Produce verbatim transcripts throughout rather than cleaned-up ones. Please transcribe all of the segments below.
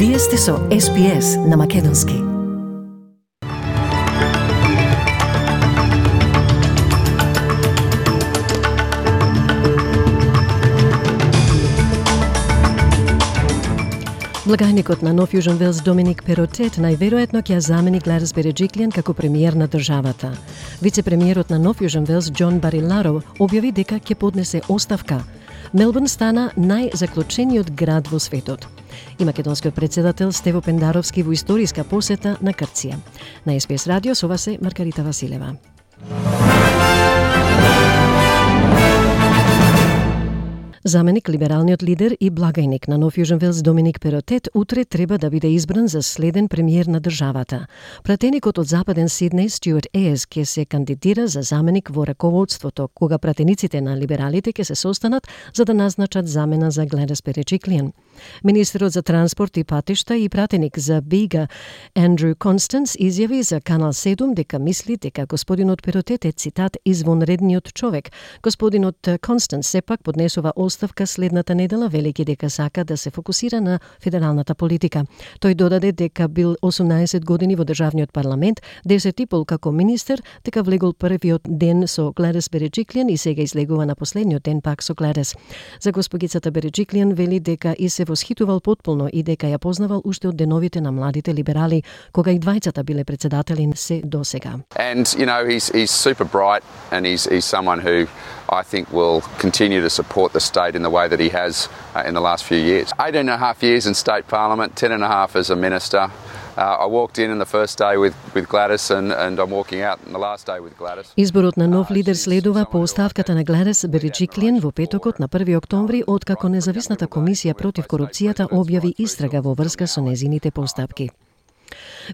Вие сте со Ес Би Ес на Македонски. Благајникот на Нов Јужен Велс Доминик Перотет најверојатно ќе ја замени Гледис Береджиклијан како премиер на државата. Вице-премиерот на Нов Јужен Велс Џон Бариларо објави дека ќе поднесе оставка. Мелбурн стана најзаклучениот град во светот. И македонскиот председател Стево Пендаровски во историска посета на Грција. На Ес Би Ес радио со вас е Маргарита Василева. Заменик либералниот лидер и благајник на Нов Јужен Велс Доминик Перотет утре треба да биде избран за следен премиер на државата. Пратеникот од Западен Сиднеј Стюарт Ејс ќе се кандидира за заменик во раководството, кога пратениците на либералите ќе се состанат за да назначат замена за Гледис Береджиклијан. Министерот за транспорт и патишта и пратеник за Бига Андрю Констанс изјави за Канал седум дека мисли дека господинот Перотет е цитат извонредниот човек. Господинот Констанс сепак поднесува оставка следната недела, велики дека сака да се фокусира на федералната политика. Тој додаде дека бил осумнаесет години во државниот парламент, десет и пол како министер, дека влегол првиот ден со Гледис Береджиклијан и сега излегува на последниот ден пак со Гледис. За госпогицата Береджиклијан вели дека и се восхитувал потполно и дека ја познавал уште од деновите на младите либерали, кога и двајцата биле председатели се досега. And you know he's he's super bright and he's he's someone who I think will continue to support the state in the way that he has uh, in the last few years. eighteen and a half years in state parliament, ten and a half as a minister. Uh, I walked in on the first day with with Gladys and and I'm walking out on the last day with Gladys. Изборот на нов лидер следува по оставката на Гледис Береджиклијан во петокот на први октомври, откако независната комисија против корупцијата објави истрага во врска со незините постапки.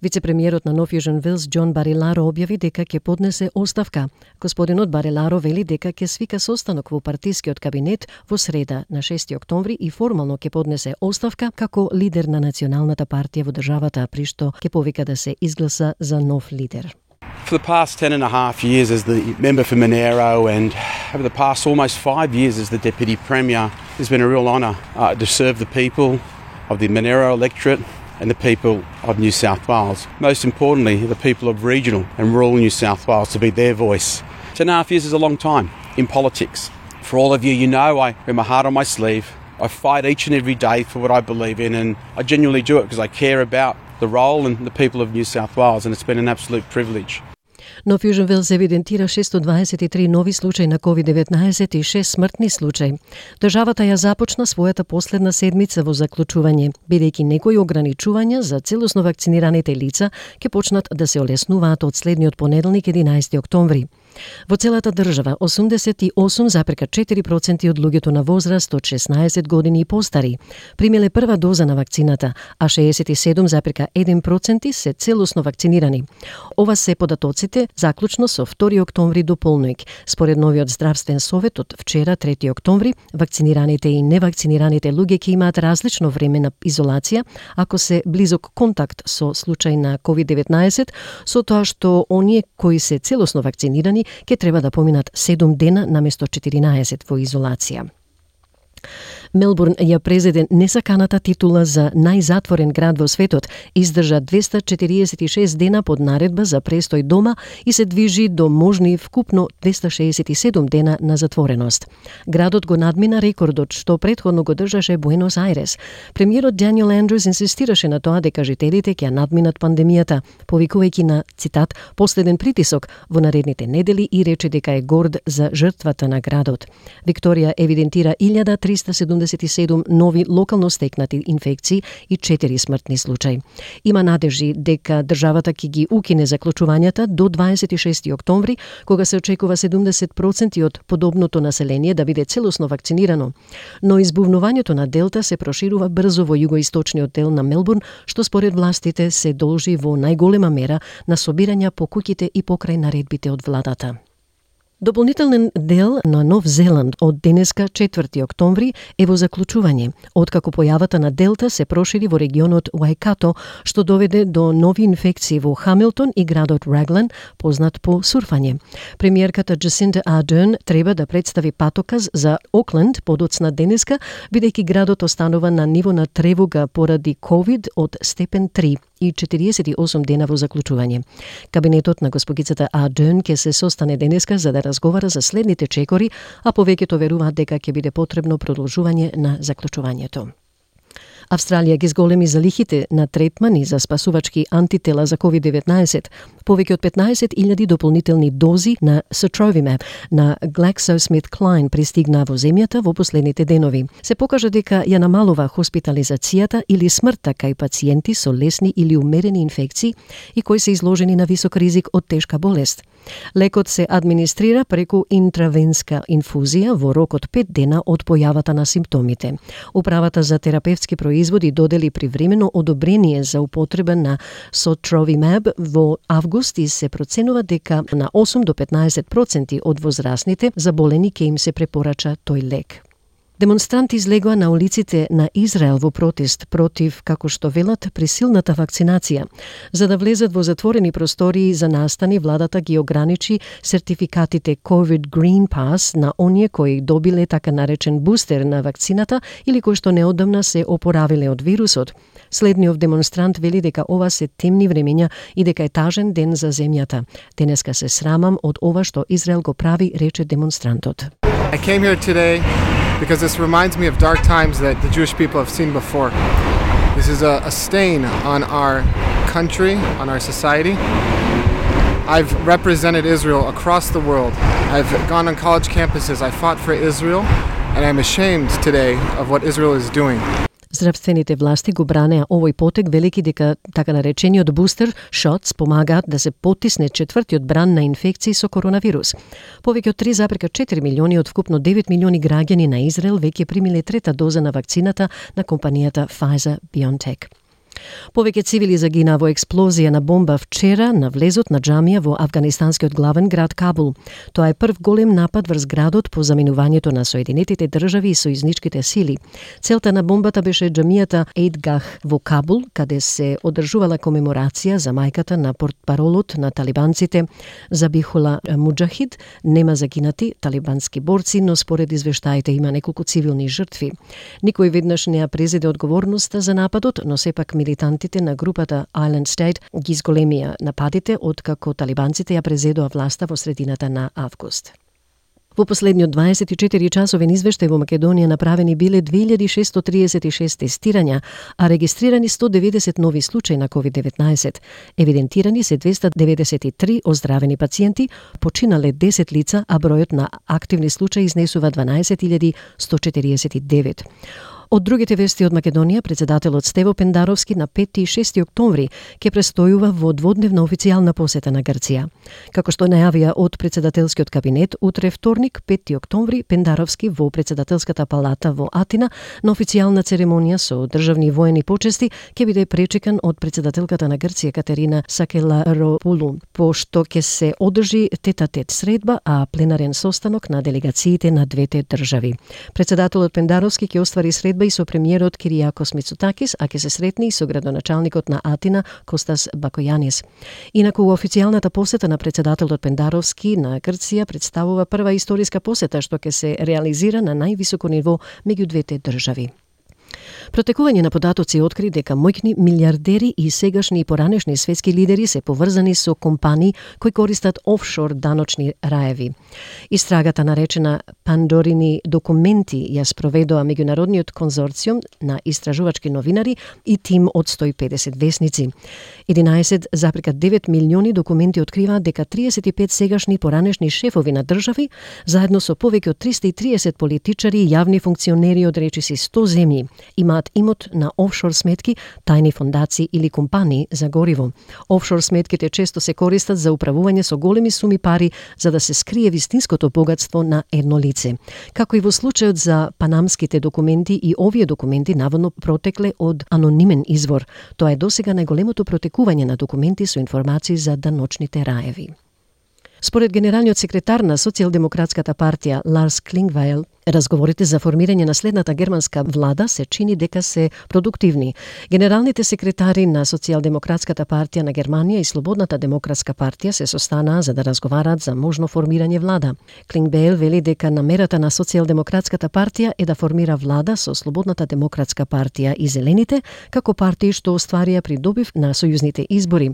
Вице-премиерот на Нов Јужен Велс Џон Бариларо објави дека ќе поднесе оставка. Господинот Бариларо вели дека ќе свика состанок во партискиот кабинет во среда на шести октомври и формално ќе поднесе оставка како лидер на националната партија во државата, при што ќе повика да се изгласа за нов лидер. For the past ten and a half years as the member for Monero and over the past almost five years as the Deputy Premier, it's been a real honour uh, to serve the people of the Monero electorate and the people of New South Wales. Most importantly, the people of regional and rural New South Wales, to be their voice. Ten and a half years is a long time in politics. For all of you, you know I wear my heart on my sleeve. I fight each and every day for what I believe in, and I genuinely do it because I care about the role and the people of New South Wales, and it's been an absolute privilege. Нов Јужен Велс евидентира шестстотини дваесет и три нови случаи на ковид деветнаесет и шест смртни случаи. Државата ја започна својата последна седмица во заклучување, бидејќи некои ограничувања за целосно вакцинираните лица ќе почнат да се олеснуваат од следниот понеделник единаесети октомври. Во целата држава осумдесет и осум зарез четири проценти од луѓето на возраст од шеснаесет години и постари примиле прва доза на вакцината, а шеесет и седум зарез еден проценти се целосно вакцинирани. Ова се податоците заклучно со втори октомври до полноќ. Според новиот здравствен совет од вчера трети октомври, вакцинираните и невакцинираните луѓе ќе имаат различно време на изолација ако се близок контакт со случај на ковид деветнаесет, со тоа што оние кои се целосно вакцинирани ќе треба да поминат седум дена наместо четиринаесет во изолација. Мелбурн ја презеде несаканата титула за најзатворен град во светот, издржа двеста четириесет и шест дена под наредба за престој дома и се движи до можни вкупно двеста шеесет и седум дена на затвореност. Градот го надмина рекордот што претходно го држаше Буенос Ајрес. Премиерот Даниел Андрус инсистираше на тоа дека жителите ќе надминат пандемијата, повикувајќи на, цитат, последен притисок во наредните недели и рече дека е горд за жртвата на градот. Викторија евидентира илјада триста седумдесет и седум нови локално стекнати инфекции и четири смртни случаи. Има надежи дека државата ќе ги укине заклучувањата до дваесет и шести октомври, кога се очекува седумдесет проценти од подобното население да биде целосно вакцинирано. Но избувнувањето на Делта се проширува брзо во југоисточниот дел на Мелбурн, што според властите се должи во најголема мера на собирања по куќите и покрај наредбите од владата. Дополнителен дел на Нов Зеланд од денеска четврти октомври е во заклучување, откако појавата на Делта се прошири во регионот Уаикато, што доведе до нови инфекции во Хамилтон и градот Раглан, познат по сурфање. Премиерката Джасинда Ардерн треба да представи патоказ за Окленд подоцна денеска, бидејќи градот останува на ниво на тревога поради ковид од степен три и четириесет и осум дена во заклучување. Кабинетот на госпогицата Ардерн ќе се состане денеска за да разговара за следните чекори, а повеќето веруваат дека ќе биде потребно продолжување на заклучувањето. Австралија ги зголеми залихите на третмани за спасувачки антитела за ковид деветнаесет. Повеќе од петнаесет илјади дополнителни дози на Sotrovimab на GlaxoSmithKline пристигна во земјата во последните денови. Се покажа дека ја намалува хоспитализацијата или смртта кај пациенти со лесни или умерени инфекции и кои се изложени на висок ризик од тешка болест. Лекот се администрира преку интравенска инфузија во рок од пет дена од појавата на симптомите. Управата за терапевтски производи додели привремено одобрение за употреба на Sotrovimab во август и се проценува дека на осум до петнаесет проценти од возрастните заболени ќе им се препорача тој лек. Демонстранти излегоа на улиците на Израел во протест против, како што велат, присилната вакцинација. За да влезат во затворени простории за настани, владата ги ограничи сертификатите COVID Green Pass на оние кои добиле така наречен бустер на вакцината или кои што неодамна се опоравиле од вирусот. Следниот демонстрант вели дека ова се темни времења и дека е тажен ден за земјата. Денеска се срамам од ова што Израел го прави, рече демонстрантот. I came here today because this reminds me of dark times that the Jewish people have seen before. This is a, a stain on our country, on our society. I've represented Israel across the world. I've gone on college campuses. I fought for Israel, and I'm ashamed today of what Israel is doing. Здравствените власти го бранеа овој потек, велики дека така наречениот бустер шотс помагаат да се потисне четвртиот бран на инфекции со коронавирус. Повеќе од три зарез и четири милиони од вкупно девет милиони граѓани на Израел веќе примиле трета доза на вакцината на компанијата Pfizer-BioNTech. Повеќе цивили загина во експлозија на бомба вчера на влезот на џамија во афганистанскиот главен град Кабул. Тоа е прв голем напад врз градот по заминувањето на Соединетите држави и сојузничките сили. Целта на бомбата беше џамијата Еидгах во Кабул, каде се одржувала комеморација за мајката на портпаролот на талибанците Забихула Муџахид. Нема загинати талибански борци, но според извештаите има неколку цивилни жртви. Никој веднаш не ја презеде одговорноста за нападот, но сепак милитантите на групата Island State ги зголемија нападите откако талибанците ја презедоа власта во средината на август. Во последниот дваесет и четири часовен извештај во Македонија направени биле две илјади шестоста триесет и шест тестирања, а регистрирани сто деветдесет нови случаи на ковид деветнаесет. Евидентирани се двеста деветдесет и три оздравени пациенти, починале десет лица, а бројот на активни случаи изнесува дванаесет илјади сто четириесет и девет. Од другите вести од Македонија, председателот Стево Пендаровски на пети и шести октомври ќе престојува во дводневна официјална посета на Грција. Како што најавија од председателскиот кабинет, утре вторник, пети октомври, Пендаровски во председателската палата во Атина на официјална церемонија со државни воени почести ќе биде пречекан од председателката на Грција Катерина Сакеларопулу, пошто ќе се одржи тет-а-тет средба, а пленарен состанок на делегациите на двете држави. Председателот Пендаровски ќе оствари средба и со премиерот Киријакос Мицотакис, а ќе се сретни и со градоначалникот на Атина Костас Бакојанис. Инаку официјалната посета на председателот Пендаровски на Грција представува прва историска посета што ќе се реализира на највисоко ниво меѓу двете држави. Протекување на податоци откри дека моќни милиардери и сегашни и поранешни светски лидери се поврзани со компании кои користат офшор даночни раеви. Истрагата наречена Пандорини документи ја спроведоа меѓународниот конзорциум на истражувачки новинари и тим од сто и педесет весници. единаесет зарез и девет милиони документи откриваат дека триесет и пет сегашни поранешни шефови на држави, заедно со повеќе од триста и триесет политичари и јавни функционери од речиси сто земји, имаат имот на офшор сметки, тајни фондации или компании за гориво. Офшор сметките често се користат за управување со големи суми пари за да се скрие вистинското богатство на едно лице. Како и во случајот за панамските документи, и овие документи наводно протекле од анонимен извор. Тоа е досега најголемото протекување на документи со информации за даночните раеви. Според генералниот секретар на Социјалдемократската партија Ларс Клингвајл, разговорите за формирање на следната германска влада се чини дека се продуктивни. Генералните секретари на Социјалдемократската партија на Германија и Слободната демократска партија се состанаа за да разговараат за можно формирање влада. Клингвајл вели дека намерата на Социјалдемократската партија е да формира влада со Слободната демократска партија и Зелените, како партии што остварија придобив на сојузните избори.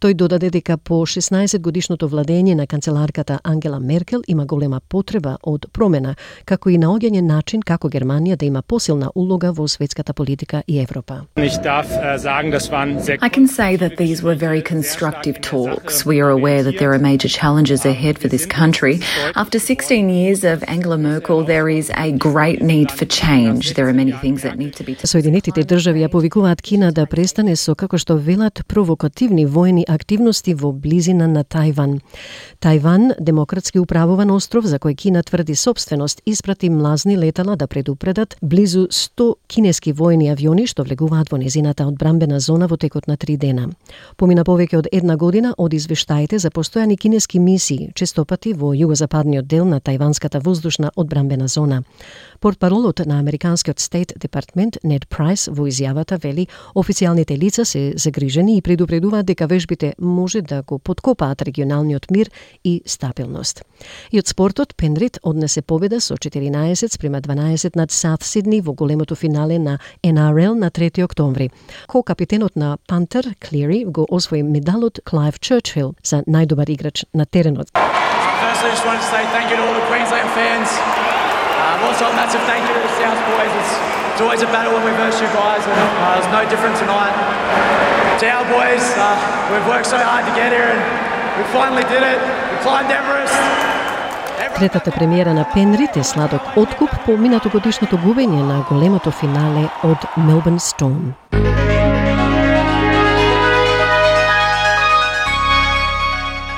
Тој додаде дека по шеснаесет годишното владење на канцеларката Ангела Меркел има голема потреба од промена, како и наоѓање начин како Германија да има посилна улога во светската политика и Европа. I can say that these were very constructive talks. We are aware that there are major challenges ahead for this country. After sixteen years of Angela Merkel, there is a great need for change. There are many things that need to be... Соединетите држави ја повикуваат Кина да престане со, како што велат, провокативни војни активности во близина на Тајван. Тајван, демократски управуван остров за кој Кина тврди собственост, испрати млазни летала да предупредат близу сто кинески војни авиони што влегуваат во незината одбрамбена зона во текот на три дена. Помина повеќе од една година од извештаите за постојани кинески мисии, честопати во југозападниот дел на тајванската воздушна одбрамбена зона. Портпаролот на американскиот Стейт Департмент Нед Прайс во изјавата вели официјалните лица се загрижени и предупредуваат дека вежбите може да го поткопаат регионалниот мир и стабилност. И од спортот Пенрит однесе победа со четиринаесет спрема дванаесет над Саут Сидни во големото финале на Ен Ар Ел на трети октомври. Ко-капитенот на Пантер, Клири, го освои медалот Клайв Чърчил за најдобар играч на теренот. Firstly, I just wanted to say thank you to all the Queensland fans. Um, also, a massive thank you to the South boys. It's, it's always a battle when we verse you guys, and uh, it was no different tonight. To our boys, uh, we've worked so hard to get here, and we finally did it. We climbed Everest. Третата премиера на Пенрит е сладок откуп по минатогодишното губење на големото финале од Мелбурн Storm.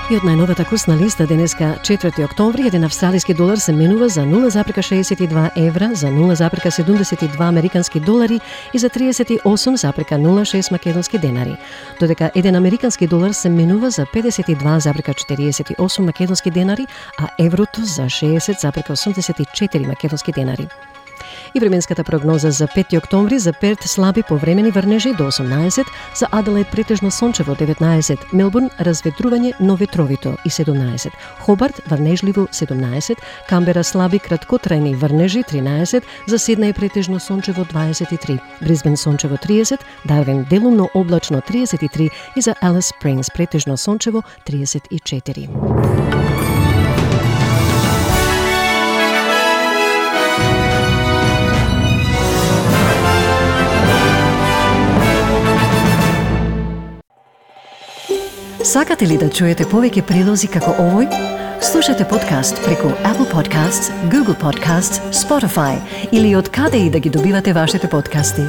И од најновата курсна листа денеска четврти октомври еден австралиски долар се менува за нула зарка шеесет и два евра, за нула зарка седумдесет и два американски долари и за триесет и осум зарка нула шест македонски денари. Додека еден американски долар се менува за педесет и два зарка четириесет и осум македонски денари, а еврото за шеесет зарка осумдесет и четири македонски денари. И временската прогноза за пети октомври: за Перт слаби повремени врнежи до осумнаесет, за Аделаид претежно сончево деветнаесет, Мелбурн разветрување, но ветровито и седумнаесет, Хобарт врнежливо седумнаесет, Камбера слаби краткотрајни врнежи тринаесет, за Сиднеј претежно сончево дваесет и три, Брисбен сончево триесет, Дарвин делумно облачно триесет и три и за Алис Спрингс претежно сончево триесет и четири. Сакате ли да чуете повеќе прилози како овој? Слушате подкаст преку Apple Podcasts, Google Podcasts, Spotify или од каде и да ги добивате вашите подкасти.